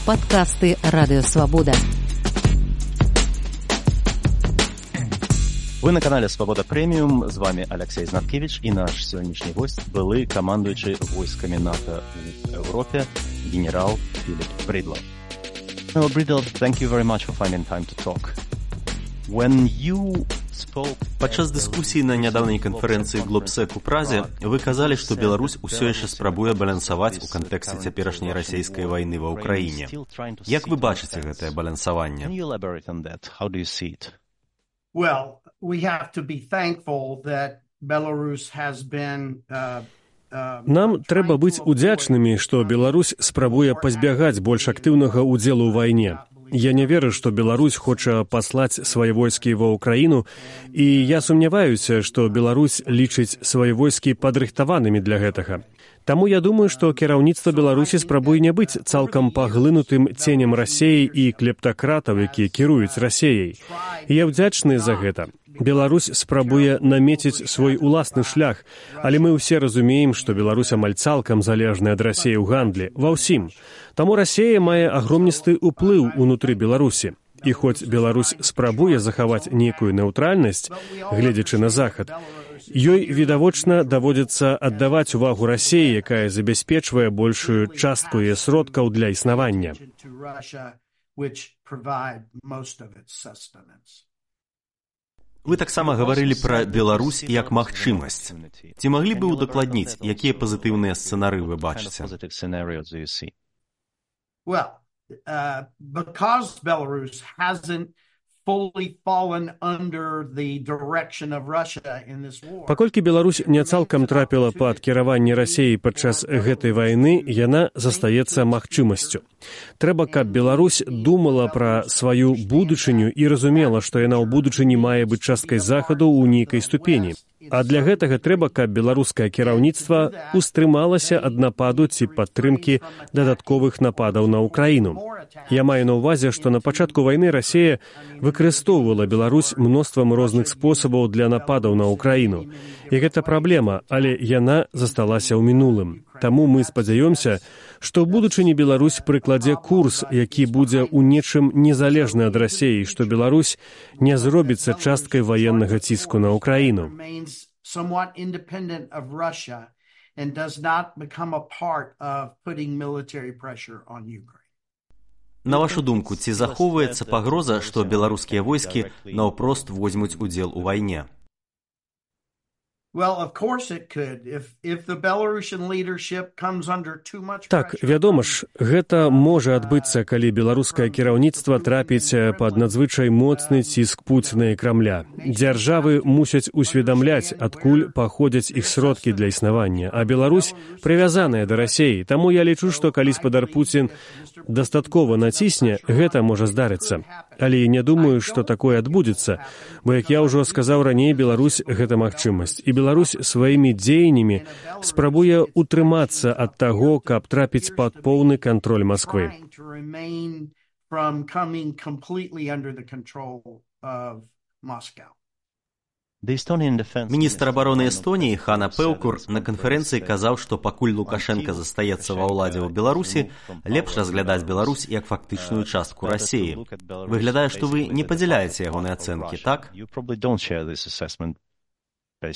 Подкасты Радио Свобода. Ви на каналі Свобода Преміум, з вами Алексей Знаткевич і наш сьогоднішній гость були командуючий військами НАТО в Європі генерал Філіп Брідлов. General Brindle, thank you very much for finding time to talk. When you spoke... Падчас дыскусіі на нядаўняй канферэнцыі Глобсек у Празе вы казалі, што Беларусь усё яшчэ спрабуе балансаваць у кантэксце цяперашняй расійскай вайны ва ўкраіне. Як вы бачыце гэтае балансаванне? Well, we have to be thankful that Belarus has been Нам трэба быць удзячнымі, што Беларусь спрабуе пазбягаць больш актыўнага ўдзелу ў вайне. Я не веру, што Беларусь хоча паслаць свае войскі ва ўкраіну, і я сумняваюся, што Беларусь лічыць свае войскі падрыхтаванымі для гэтага. Таму я думаю, што кіраўніцтва Беларусі спрабуе не быць цалкам паглынутым ценем Расеі і клептакратаў, якія кіруюць Расеяй. І я ўдзячны за гэта. Беларусь спрабуе намеціць свой уласны шлях, але мы ўсе разумеем, што Беларусь амаль цалкам залежная ад Расеі ў гандлі, ва ўсім. Таму Расея мае агромністы ўплыў унутры Беларусі. І хоць Беларусь спрабуе захаваць нейкую нейтральнасць, гледзячы на захад, ёй відавочна даводзіцца аддаваць увагу Расеі, якая забяспечвае большую частку яе сродкаў для існавання. Вы таксама гаварылі пра Беларусь як магчымасць. Ці маглі бы ўдакладніць, якія пазітыўныя сцэнары вы бачыце? Well, because Belarus hasn't fully fallen under the direction of Russia in this war. Паколькі Беларусь не цалкам трапіла пад кіраванне Расеі падчас гэтай вайны, яна застаецца магчымасцю. Трэба, каб Беларусь думала пра сваю будучыню і разумела, што яна ў будучыні мае быць часткай захаду ў нейкай ступені. А для гэтага трэба, каб беларускае кіраўніцтва устрымалася ад нападу ці падтрымкі дадатковых нападаў на ўкраіну. Я маю на ўвазе, што на пачатку вайны Расея выкарыстоўвала Беларусь мноствам розных спосабаў для нападаў на ўкраіну. І гэта праблема, але яна засталася ў мінулым. Таму мы спадзяёмся, што ў будучыні Беларусь прыкладзе курс, які будзе ў нечым незалежны ад Расеі, што Беларусь не зробіцца часткай ваеннага ціску на ўкраіну. На вашу думку, ці захоўваецца пагроза, што беларускія войскі наўпрост возьмуць удзел у вайне? Так, вядома ж, гэта можа адбыцца, калі беларускае кіраўніцтва трапіць пад надзвычай моцны ціск Пуціна і Крамля. Дзяржавы мусяць усведамляць, адкуль паходзяць іх сродкі для існавання, а Беларусь прывязаная да Расеі. Таму я лічу, што калі спадар Пуцін дастаткова націсне, гэта можа здарыцца. Але я не думаю, што такое адбудзецца, бо, як я ўжо сказаў раней, Беларусь — гэта магчымасць. І Беларусь сваімі дзеяннямі спрабуе утрымацца ад таго, каб трапіць пад поўны кантроль Масквы. Міністр абароны Эстоніі Хана Пеўкур на канферэнцыі казаў, што пакуль Лукашенка застаецца ва ўладзе ў Беларусі, лепш разглядаць Беларусь як фактычную частку Расеі. Выглядае, што вы не падзяляеце ягоныя ацэнкі, так? Ён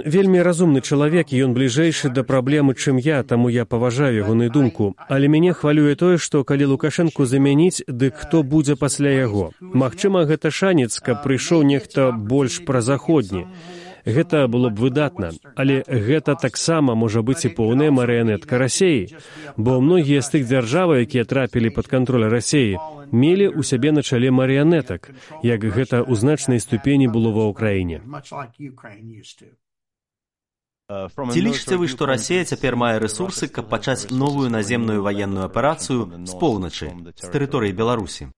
вельмі разумны чалавек, і ён бліжэйшы да праблемы, чым я, таму я паважаю ягоную думку. Але мяне хвалюе тое, што калі Лукашэнку замяніць, дык хто будзе пасля яго? Магчыма, гэта шанец, каб прыйшоў нехта больш празаходні. Гэта было б выдатна, але гэта таксама можа быць і поўная марыянетка Расеі, бо многія з тых дзяржаваў, якія трапілі пад кантроль Расеі, мелі ў сябе на чале марыянетак, як гэта ў значнай ступені было ва ўкраіне. Ці лічыце вы, што Расея цяпер мае рэсурсы, каб пачаць новую наземную ваенную аперацыю з поўначы, з тэрыторыі Беларусі?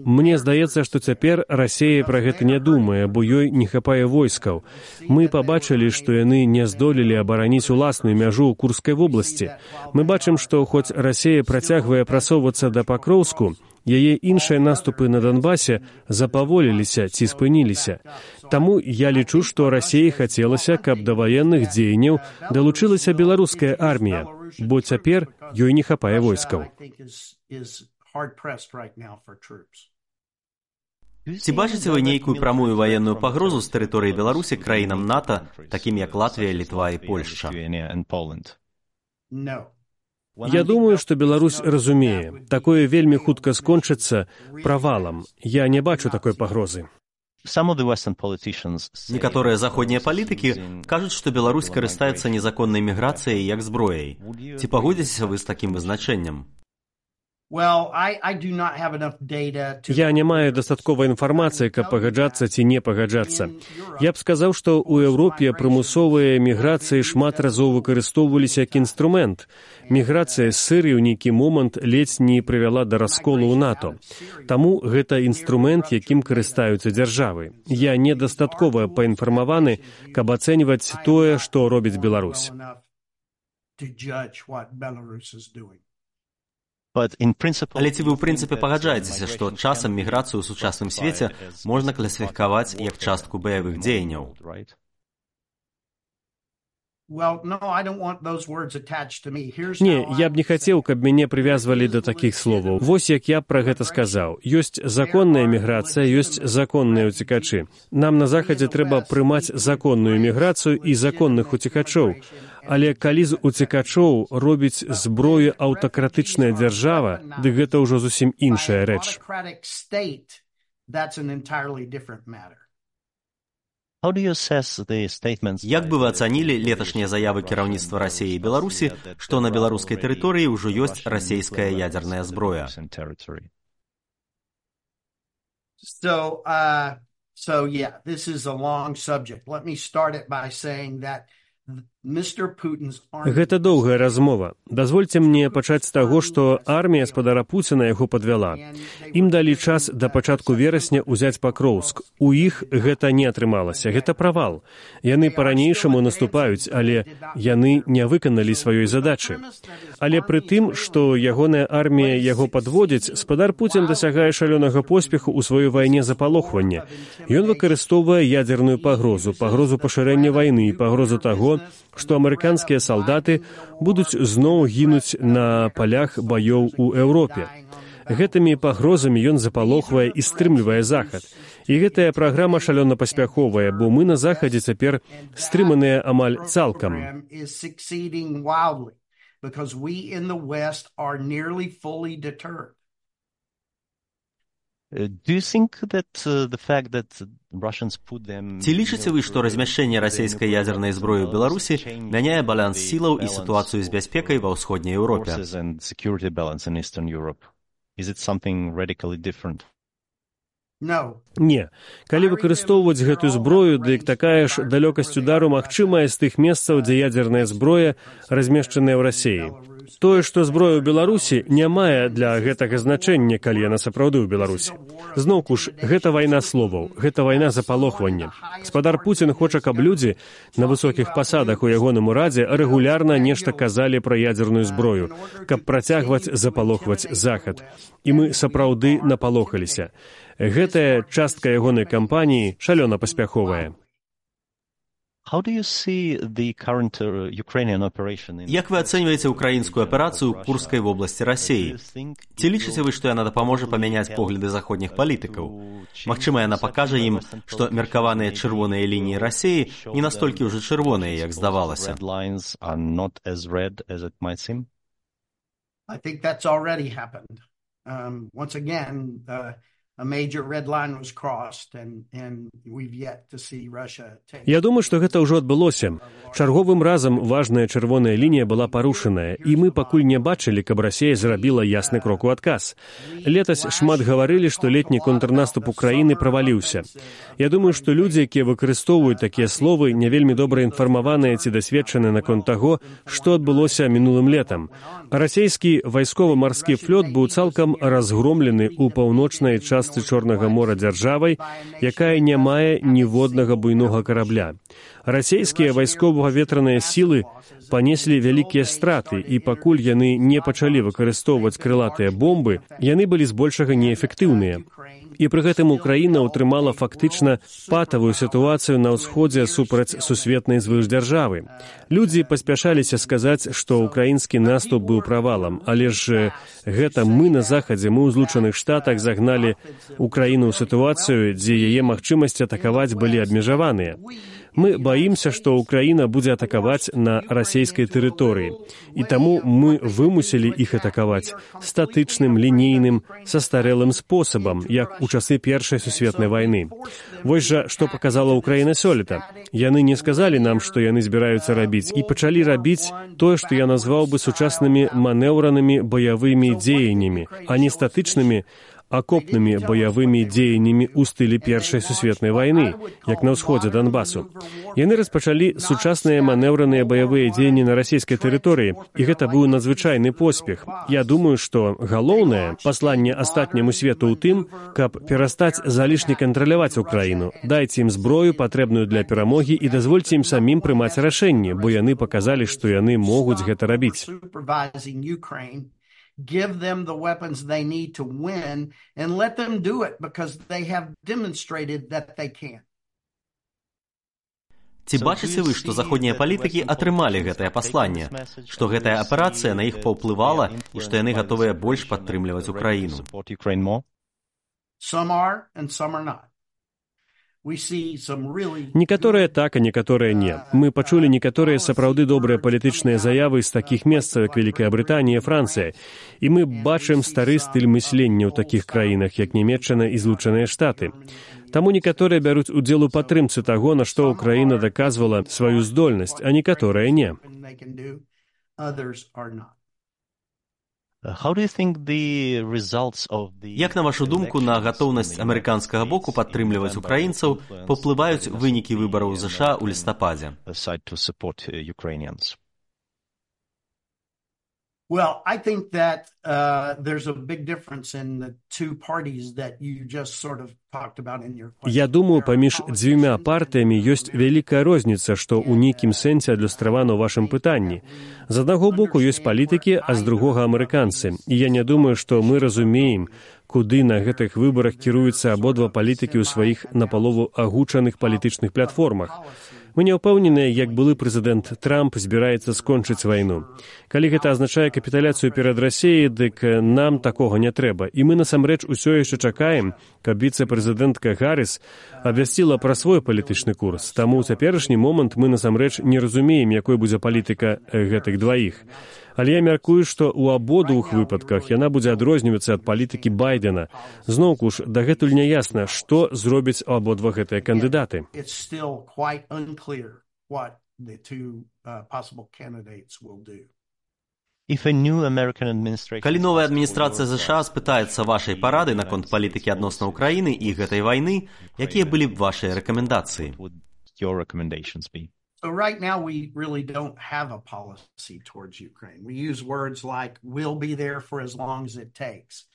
Мне здаецца, што цяпер Расея пра гэта не думае, бо ёй не хапае войскаў. Мы пабачылі, што яны не здолелі абараніць уласную мяжу ў Курскай вобласці. Мы бачым, што хоць Расея працягвае прасоўвацца да Пакроўску, Яе іншыя наступы на Донбасе запаволіліся ці спыніліся. Таму я лічу, што Расіі хацелася, каб да ваенных дзеянняў далучылася беларуская армія, бо цяпер ёй не хапае войскаў. Ці бачыце вы нейкую прамую ваенную пагрозу з тэрыторыі Беларусі краінам НАТО, такім як Латвія, Літва і Польшча? Я думаю, што Беларусь разумее, такое вельмі хутка скончыцца правалам. Я не бачу такой пагрозы. Некаторыя заходнія палітыкі кажуць, што Беларусь карыстаецца незаконнай міграцыяй як зброяй. Ці пагодзіцеся вы з такім вызначэннем? Я не маю дастатковай інфармацыі, каб пагаджацца ці не пагаджацца. Я б сказаў, што ў Еўропе прымусовыя міграцыі шмат разоў выкарыстоўваліся як інструмент. Міграцыя з Сірыі ў нейкі момант ледзь не прывяла да расколу ў НАТО. Таму гэта інструмент, якім карыстаюцца дзяржавы. Я недастаткова паінфармаваны, каб ацэньваць тое, што робіць Беларусь. Але ці вы ў прынцыпе пагаджаецеся, што часам міграцыю ў сучасным свеце можна класіфікаваць як частку баявых дзеянняў? Не, я б не хацеў, каб мяне прывязвалі да такіх словаў. Вось як я пра гэта сказаў. Ёсць законная міграцыя, ёсць законныя ўцекачы. Нам на Захадзе трэба прымаць законную міграцыю і законных уцекачоў. Але калі з уцекачоў робіць зброю аўтакратычная дзяржава, дык гэта ўжо зусім іншая рэч. Як бы вы ацанілі леташнія заявы кіраўніцтва Расіі і Беларусі, што на беларускай тэрыторыі ўжо ёсць расійская ядзерная зброя? So yeah, this is a long subject. Let me start it by saying that Гэта доўгая размова. Дазвольце мне пачаць з таго, што армія спадара Пуціна яго падвяла. Ім далі час да пачатку верасня ўзяць Пакроўск. У іх гэта не атрымалася. Гэта правал. Яны па-ранейшаму наступаюць, але яны не выканалі сваёй задачы. Але пры тым, што ягоная армія яго падводзіць, спадар Пуцін дасягае шалёнага поспеху ў сваёй вайне запалохвання. Ён выкарыстоўвае ядзерную пагрозу, пагрозу пашырэння вайны і пагрозу таго, што амерыканскія салдаты будуць зноў гінуць на палях баёў у Еўропе. Гэтымі пагрозамі ён запалохвае і стрымлівае Захад. І гэтая праграма шалёна паспяховая, бо мы на Захадзе цяпер стрыманыя амаль цалкам. Ці лічыце вы, што размяшчэнне расійскай ядзернай зброі ў Беларусі мяняе баланс сілаў і сітуацыю з бяспекай ва ўсходняй Еўропе? Не. Калі выкарыстоўваць гэтую зброю, дык такая ж далёкасць удару магчымая з тых месцаў, дзе ядзерная зброя размешчаная ў Расіі. Тое, што зброя ў Беларусі, не мае для гэтага значэння, калі яна сапраўды ў Беларусі. Зноўку ж, гэта вайна словаў, гэта вайна запалохвання. Спадар Пуцін хоча, каб людзі на высокіх пасадах у ягоным урадзе рэгулярна нешта казалі пра ядзерную зброю, каб працягваць запалохваць Захад. І мы сапраўды напалохаліся. Гэтая частка ягонай кампаніі шалёна паспяховая. Як вы ацэньваеце ўкраінскую аперацыю ў Курскай вобласці Расіі? Ці лічыце вы, што яна дапаможа памяняць погляды заходніх палітыкаў? Магчыма, яна пакажа ім, што меркаваныя чырвоныя лініі Расіі не настолькі ўжо чырвоныя, як здавалася. I think that's already happened. Once again, a major red line was crossed and we've yet to see Russia take. Я думаю, што гэта ўжо адбылося. Чарговым разам важная чырвоная лінія была парушаная, і мы пакуль не бачылі, каб Расія зрабіла ясны крок у адказ. Летась шмат гаварылі, што летні контрнаступ Украіны праваліўся. Я думаю, што людзі, якія выкарыстоўваюць такія словы, не вельмі добра інфармаваныя ці дасведчаныя наконт таго, што адбылося мінулым летам. Расійскі вайскова-марскі флот быў цалкам разгромлены ў паўночнай частцы частцы Чорнага мора дзяржавай, якая не мае ніводнага буйнога карабля. Расійскія вайскова-паветраныя сілы панеслі вялікія страты, і пакуль яны не пачалі выкарыстоўваць крылатыя бомбы, яны былі збольшага неэфектыўныя. І пры гэтым Украіна ўтрымала фактычна патавую сітуацыю на ўсходзе супраць сусветнай звышдзяржавы. Людзі паспяшаліся сказаць, што ўкраінскі наступ быў правалам, але ж гэта мы на захадзе, мы ў Злучаных Штатах загналі Украіну ў сітуацыю, дзе яе магчымасці атакаваць былі абмежаваныя. Мы баімся, што Украіна будзе атакаваць на расійскай тэрыторыі, і таму мы вымусілі іх атакаваць статычным, лінейным, састарэлым спосабам, як у часы Першай сусветнай вайны. Вось жа, што паказала Украіна сёлета. Яны не сказалі нам, што яны збіраюцца рабіць, і пачалі рабіць тое, што я назваў бы сучаснымі манеўранымі баявымі дзеяннямі, а не статычнымі, акопнымі баявымі дзеяннямі ў стылі Першай сусветнай вайны, як на ўсходзе Донбасу. Яны распачалі сучасныя манеўраныя баявыя дзеянні на расійскай тэрыторыі, і гэта быў надзвычайны поспех. Я думаю, што галоўнае пасланне астатняму свету ў тым, каб перастаць залішне кантраляваць Украіну. Дайце ім зброю, патрэбную для перамогі, і дазвольце ім самім прымаць рашэнні, бо яны паказалі, што яны могуць гэта рабіць. Give them the weapons they need to win and let them do it because they have demonstrated that they can. Ці бачыце вы, што заходнія палітыкі атрымалі гэтае пасланне, што гэтая аперацыя на іх паўплывала і што яны гатовыя больш падтрымліваць Украіну? Some are and some are not. Некаторыя так, а некаторыя не. Мы пачулі некаторыя сапраўды добрыя палітычныя заявы з такіх месцаў, як Вялікая Брытанія, Францыя. І мы бачым стары стыль мыслення ў такіх краінах, як Нямецчына і Злучаныя Штаты. Таму некаторыя бяруць удзел у падтрымцы таго, на што Украіна даказвала сваю здольнасць, а некаторыя не. Як, на вашу думку, на гатоўнасць амерыканскага боку падтрымліваць украінцаў паўплываюць вынікі выбараў ЗША ў лістападзе? Well, I think that there's a big difference in the two parties that you just sort of talked about in your question. Я думаю, паміж дзвюма партыямі ёсць вялікая розніца, што ў нейкім сэнсе адлюстравана ў вашым пытанні. З аднаго боку ёсць палітыкі, а з другога амерыканцы. І я не думаю, што мы разумеем, куды на гэтых выбарах кіруюцца абодва палітыкі ў сваіх напалову агучаных палітычных платформах. Мы не ўпэўненыя, як былы прэзідэнт Трамп збіраецца скончыць вайну. Калі гэта азначае капітуляцыю перад Расіяй, дык нам такога не трэба. І мы насамрэч усё яшчэ чакаем, каб віцэ-прэзідэнтка Гарріс абвясціла пра свой палітычны курс. Таму ў цяперашні момант мы насамрэч не разумеем, якой будзе палітыка гэтых дваіх. Але я мяркую, што ў абодвух выпадках яна будзе адрознівацца ад палітыкі Байдена. Зноўку ж, дагэтуль не ясна, што зробяць абодва гэтыя кандыдаты. Калі новая адміністрацыя ЗША спытаецца вашай парады наконт палітыкі адносна Украіны і гэтай вайны, якія былі б вашыя рэкамендацыі? So right now we really don't have a policy towards Ukraine. We use words like we'll be there for as long as it takes.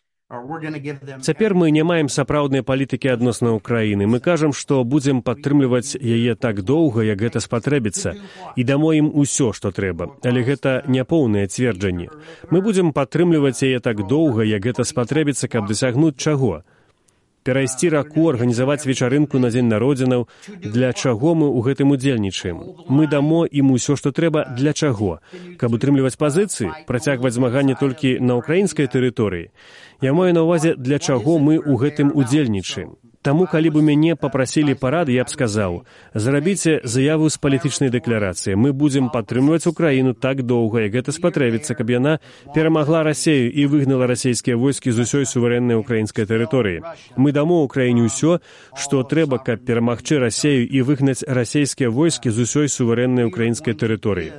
Цяпер мы не маем сапраўднай палітыкі адносна Украіны. Мы кажам, што будзем падтрымліваць яе так доўга, як гэта спатрэбіцца, і дамо ім усё, што трэба. Але гэта няпоўнае цверджанне. Мы будзем падтрымліваць яе так доўга, як гэта спатрэбіцца, каб дасягнуць чаго? Перайсці раку, арганізаваць вечарынку на дзень народзінаў. Для чаго мы ў гэтым удзельнічаем? Мы дамо ім усё, што трэба. Для чаго? Каб утрымліваць пазіцыі? Працягваць змаганне толькі на ўкраінскай тэрыторыі? Я маю на ўвазе, для чаго мы ў гэтым удзельнічаем. Таму, калі б мяне папрасілі парады, я б сказаў, зрабіце заяву з палітычнай дэкларацыі. Мы будзем падтрымліваць Украіну так доўга, як гэта спатрэбіцца, каб яна перамагла Расію і выгнала расійскія войскі з усёй суверэннай украінскай тэрыторыі. Мы дамо Украіне ўсё, што трэба, каб перамагчы Расію і выгнаць расійскія войскі з усёй суверэннай украінскай тэрыторыі.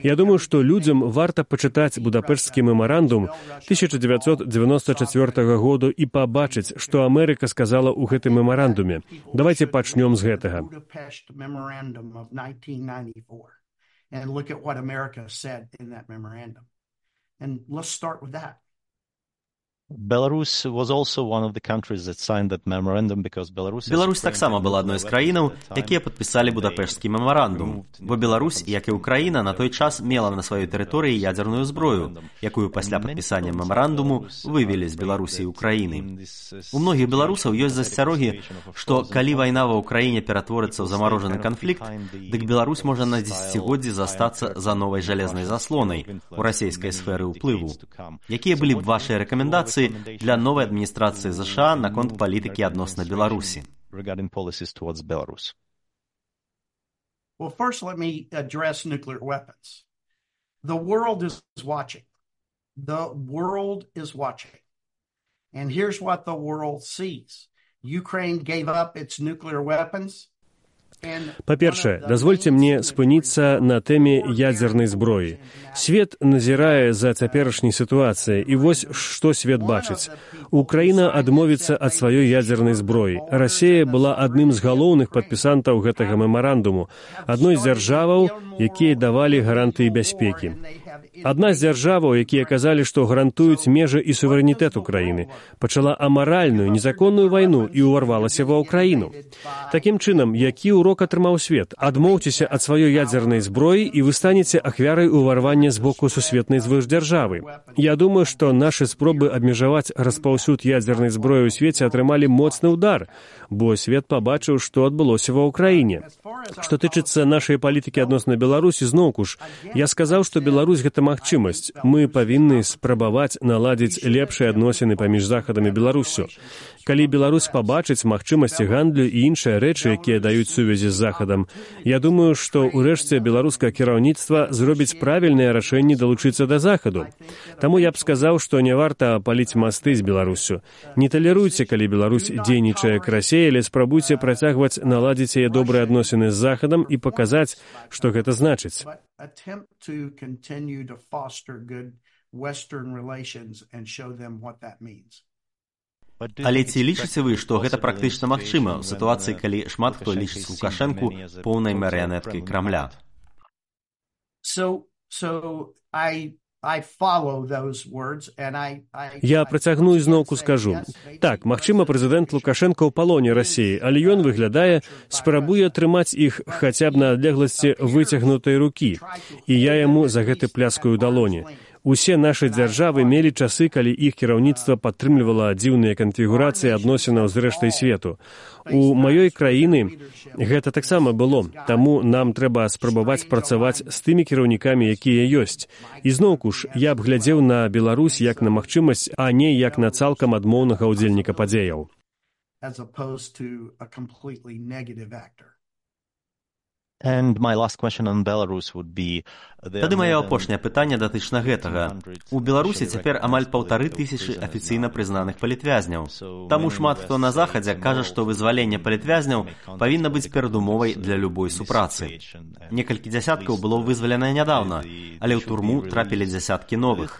Я думаю, што людзям варта пачытаць Будапешцкі мемарандум 1994 году і пабачыць, што Амерыка сказала ў гэтым мемарандуме. Давайте пачнём з гэтага. Беларусь таксама была адной з краінаў, якія падпісалі Будапешцкі мемарандум, бо Беларусь, як і Украіна, на той час мела на сваёй тэрыторыі ядзерную зброю, якую пасля падпісання мемарандуму вывелі з Беларусі і Украіны. У многіх беларусаў ёсць засцярогі, што калі вайна ва ўкраіне ператворыцца ў замарожаны канфлікт, дык Беларусь можа на дзесяцігоддзі застацца за новай жалезнай заслонай у расійскай сферы ўплыву. Якія былі б вашыя рэкамендацыі для новой администрации США наконт политики адносна Беларуси? Well, first let me address nuclear weapons. The world is watching. The world is watching. And here's what the world sees. Ukraine gave up its nuclear weapons. Па-першае, дазвольце мне спыніцца на тэме ядзернай зброі. Свет назірае за цяперашняй сітуацыяй, і вось што свет бачыць. Украіна адмовіцца ад сваёй ядзернай зброі. Расія была адным з галоўных падпісантаў гэтага мемарандуму, адной з дзяржаваў, якія давалі гарантыі бяспекі. Адна з дзяржаваў, якія казалі, што гарантуюць межы і суверэнітэт Украіны, пачала амаральную, незаконную вайну і ўварвалася ва Ўкраіну. Такім чынам, які урок атрымаў свет? Адмоўцеся ад сваёй ядзернай зброі і вы станеце ахвярай уварвання з боку сусветнай звышдзяржавы. Я думаю, што нашы спробы абмежаваць распаўсюд ядзернай зброі ў свеце атрымалі моцны ўдар, бо свет пабачыў, што адбылося ва Ўкраіне. Што тычыцца нашай палітыкі адносна Беларусі, зноўку ж, я сказаў, што Беларусь гэта магчымасць. Мы павінны спрабаваць наладзіць лепшыя адносіны паміж Захадам і Беларуссю. Калі Беларусь пабачыць магчымасці гандлю і іншыя рэчы, якія даюць сувязі з Захадам, я думаю, што ўрэшце беларускае кіраўніцтва зробіць правільнае рашэнне далучыцца да Захаду. Таму я б сказаў, што не варта паліць масты з Беларуссю. Не талеруйце, калі Беларусь дзейнічае к Расіі, але спрабуйце працягваць наладзіць яе добрыя адносіны з Захадам і паказаць, што гэта значыць. Але ці лічыце вы, што гэта практычна магчыма ў сітуацыі, калі шмат хто лічыць Лукашэнку поўнай марыянеткай Крамля? Я працягну і зноўку скажу. Так, магчыма, прэзідэнт Лукашэнка ў палоне Расіі, але ён выглядае, спрабуе атрымаць іх хаця б на адлегласці выцягнутай рукі. І я яму за гэты пляскаю далоні. Усе нашы дзяржавы мелі часы, калі іх кіраўніцтва падтрымлівала дзіўныя канфігурацыі адносінаў з рэштай свету. У маёй краіны гэта таксама было, таму нам трэба спрабаваць працаваць з тымі кіраўнікамі, якія ёсць. І зноўку ж, я б глядзеў на Беларусь як на магчымасць, а не як на цалкам адмоўнага ўдзельніка падзеяў. Тады маё апошняе пытанне датычна гэтага. У Беларусі цяпер амаль 1500 афіцыйна прызнаных палітвязняў. Таму шмат хто на Захадзе кажа, што вызваленне палітвязняў павінна быць перадумовай для любой супрацы. Некалькі дзясяткаў было вызваленае нядаўна, але ў турму трапілі дзясяткі новых.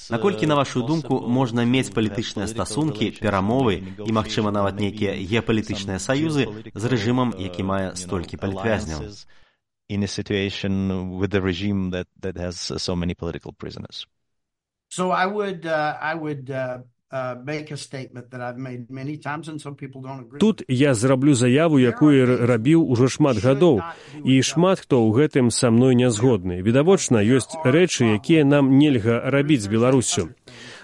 Наколькі, на вашу думку, можна мець палітычныя стасункі, перамовы і, магчыма, нават нейкія геапалітычныя саюзы з рэжымам, які мае столькі палітвязняў? In a situation with a regime that has so many political prisoners. So I would make a statement that I've made many times and some people don't agree. Тут я зраблю заяву, якую рабіў ужо шмат гадоў, і шмат хто ў гэтым са мной не згодны. Відавочна, ёсць рэчы, якія нам нельга рабіць з Беларуссю.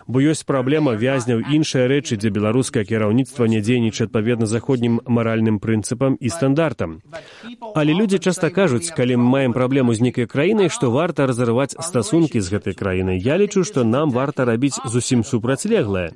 Бо ёсць праблема вязняў, іншыя рэчы, дзе беларускае кіраўніцтва не дзейнічае адпаведна заходнім маральным прынцыпам і стандартам. Але людзі часта кажуць, калі мы маем праблему з нейкай краінай, што варта разрываць стасункі з гэтай краінай. Я лічу, што нам варта рабіць зусім супрацьлеглае.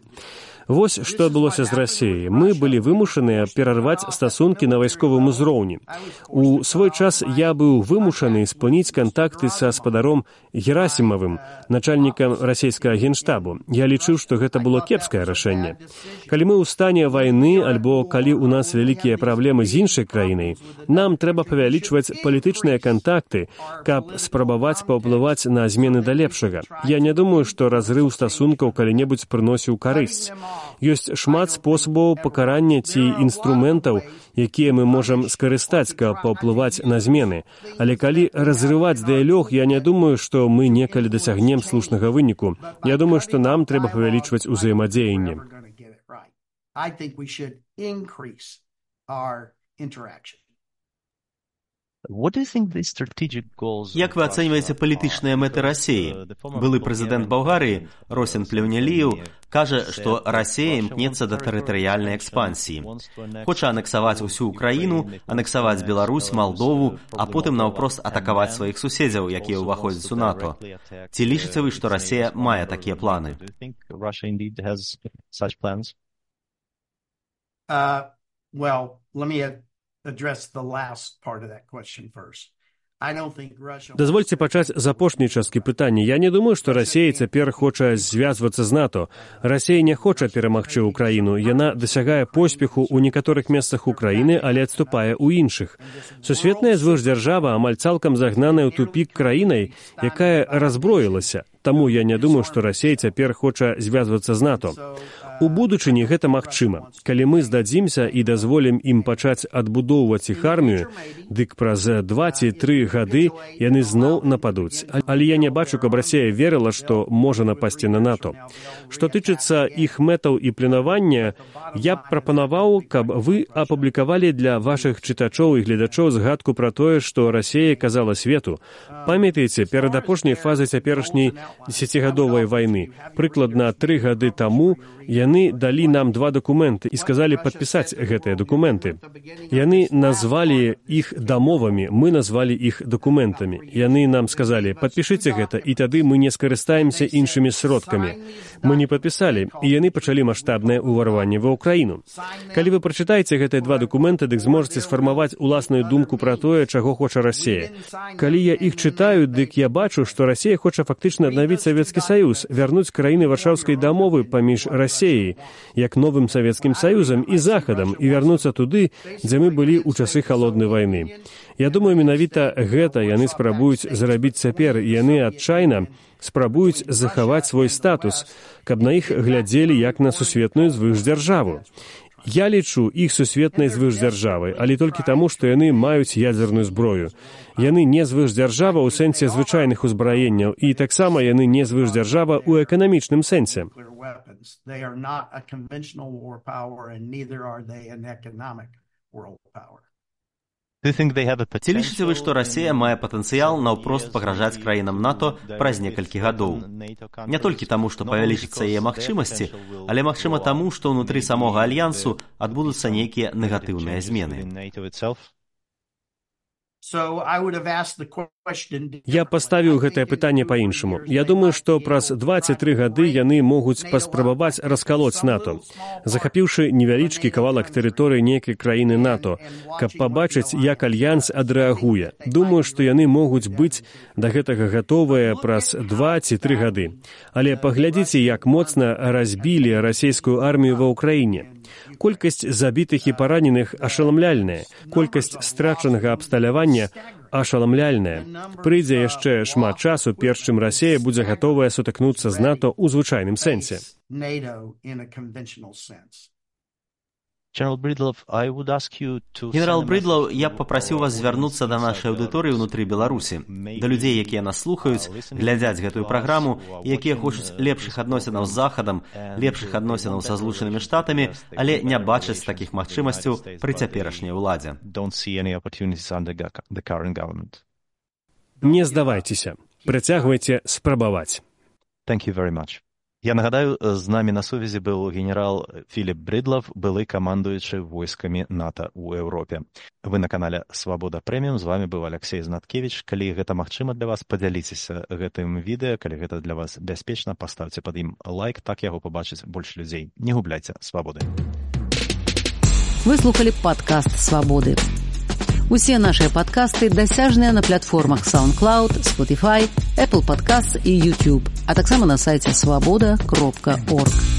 Вось што адбылося з Расіяй. Мы былі вымушаныя перарваць стасункі на вайсковым узроўні. У свой час я быў вымушаны спыніць кантакты са спадаром Герасімавым, начальнікам расійскага генштабу. Я лічыў, што гэта было кепскае рашэнне. Калі мы ў стане вайны, альбо калі ў нас вялікія праблемы з іншай краінай, нам трэба павялічваць палітычныя кантакты, каб спрабаваць паўплываць на змены да лепшага. Я не думаю, што разрыў стасункаў калі-небудзь прыносіў карысць. Ёсць шмат спосабаў пакарання ці інструментаў, якія мы можам скарыстаць, каб паўплываць на змены. Але калі разрываць дыялог, я не думаю, што мы некалі дасягнем слушнага выніку. Я думаю, што нам трэба павялічваць узаемадзеянне. Як вы ацэньваеце палітычныя мэты Расіі? Былы прэзідэнт Балгарыі Росен Плевняліеў кажа, што Расія імкнецца да тэрытарыяльнай экспансіі. Хоча анексаваць усю Украіну, анексаваць Беларусь, Малдову, а потым наўпрост атакаваць сваіх суседзяў, якія ўваходзяць у НАТО. Ці лічыце вы, што Расія мае такія планы? Дазвольце пачаць з апошняй часткі пытання. Я не думаю, што Расія цяпер хоча звязвацца з НАТО. Расія не хоча перамагчы ўкраіну. Яна дасягае поспеху ў некаторых месцах Украіны, але адступае ў іншых. Сусветная звышдзяржава амаль цалкам загнаная ў тупік краінай, якая разброілася. Таму я не думаю, што Расія цяпер хоча звязвацца з НАТО. У будучыні гэта магчыма. Калі мы здадзімся і дазволім ім пачаць адбудоўваць іх армію, дык праз 2 ці 3 гады яны зноў нападуць. Але я не бачу, каб Расія верыла, што можа напасці на НАТО. Што тычыцца іх мэтаў і планавання, я б прапанаваў, каб вы апублікавалі для вашых чытачоў і гледачоў згадку пра тое, што Расія казала свету. Памятаеце, перад апошняй фазай цяперашняй 10-гадовай вайны, прыкладна 3 гады таму, яны далі нам 2 дакументы і сказалі падпісаць гэтыя дакументы. Яны назвалі іх дамовамі, мы назвалі іх дакументамі. Яны нам сказалі, падпішыце гэта, і тады мы не скарыстаемся іншымі сродкамі. Мы не падпісалі, і яны пачалі маштабнае ўварванне ва Ўкраіну. Калі вы прачытаеце гэтыя 2 дакументы, дык зможаце сфармаваць уласную думку пра тое, чаго хоча Расія. Калі я іх чытаю, дык я бачу, што Расія хоча фактычна аднавіць Савецкі Саюз, вярнуць краіны Варшаўскай дамовы паміж Расіяй, як новым Савецкім Саюзам і Захадам, і вярнуцца туды, дзе мы былі ў часы халоднай вайны. Я думаю, менавіта гэта яны спрабуюць зрабіць цяпер, і яны адчайна спрабуюць захаваць свой статус, каб на іх глядзелі як на сусветную звышдзяржаву. Я лічу іх сусветнай звышдзяржавай, але толькі таму, што яны маюць ядзерную зброю. Яны не звышдзяржава ў сэнсе звычайных узбраенняў, і таксама яны не звышдзяржава ў эканамічным сэнсе. Ці лічыце вы, што Расія мае патэнцыял наўпрост пагражаць краінам НАТО праз некалькі гадоў? Не толькі таму, што павялічыцца яе магчымасці, але магчыма таму, што ўнутры самога альянсу адбудуцца нейкія негатыўныя змены. Я паставіў гэтае пытанне па-іншаму. Я думаю, што праз 2 ці 3 гады яны могуць паспрабаваць раскалоць НАТО, захапіўшы невялічкі кавалак тэрыторыі нейкай краіны НАТО, каб пабачыць, як альянс адрэагуе. Думаю, што яны могуць быць да гэтага гатовыя праз 2 ці 3 гады. Але паглядзіце, як моцна разбілі расійскую армію ва Ўкраіне. Колькасць забітых і параненых ашаламляльная, колькасць страчанага абсталявання ашаламляльная. Прыйдзе яшчэ шмат часу, перш чым Расія будзе гатовая сутыкнуцца з НАТО ў звычайным сэнсе. Генерал Брыдлаў, я б папрасіў вас звярнуцца да нашай аўдыторыі ўнутры Беларусі, да людзей, якія нас слухаюць, глядзяць гэтую праграму, якія хочуць лепшых адносінаў з Захадам, лепшых адносінаў са Злучанымі Штатамі, але не бачаць такіх магчымасцяў пры цяперашняй уладзе. Не здавайцеся. Працягвайце спрабаваць. Я нагадаю, з намі на сувязі быў генерал Філіп Брыдлаў, былы камандуючы войскамі НАТО ў Еўропе. Вы на канале Свабода Прэміум, з вами быў Алексей Знаткевіч. Калі гэта магчыма для вас, падзяліцеся гэтым відэа, калі гэта для вас бяспечна, паставце пад ім лайк, так яго побачыць больш людзей. Не губляйце свабоды. Вы слухали падкаст Свабоды. Усе нашыя падкасты дасяжныя на платформах SoundCloud, Spotify, Apple Podcasts і YouTube, а таксама на сайце swaboda.org.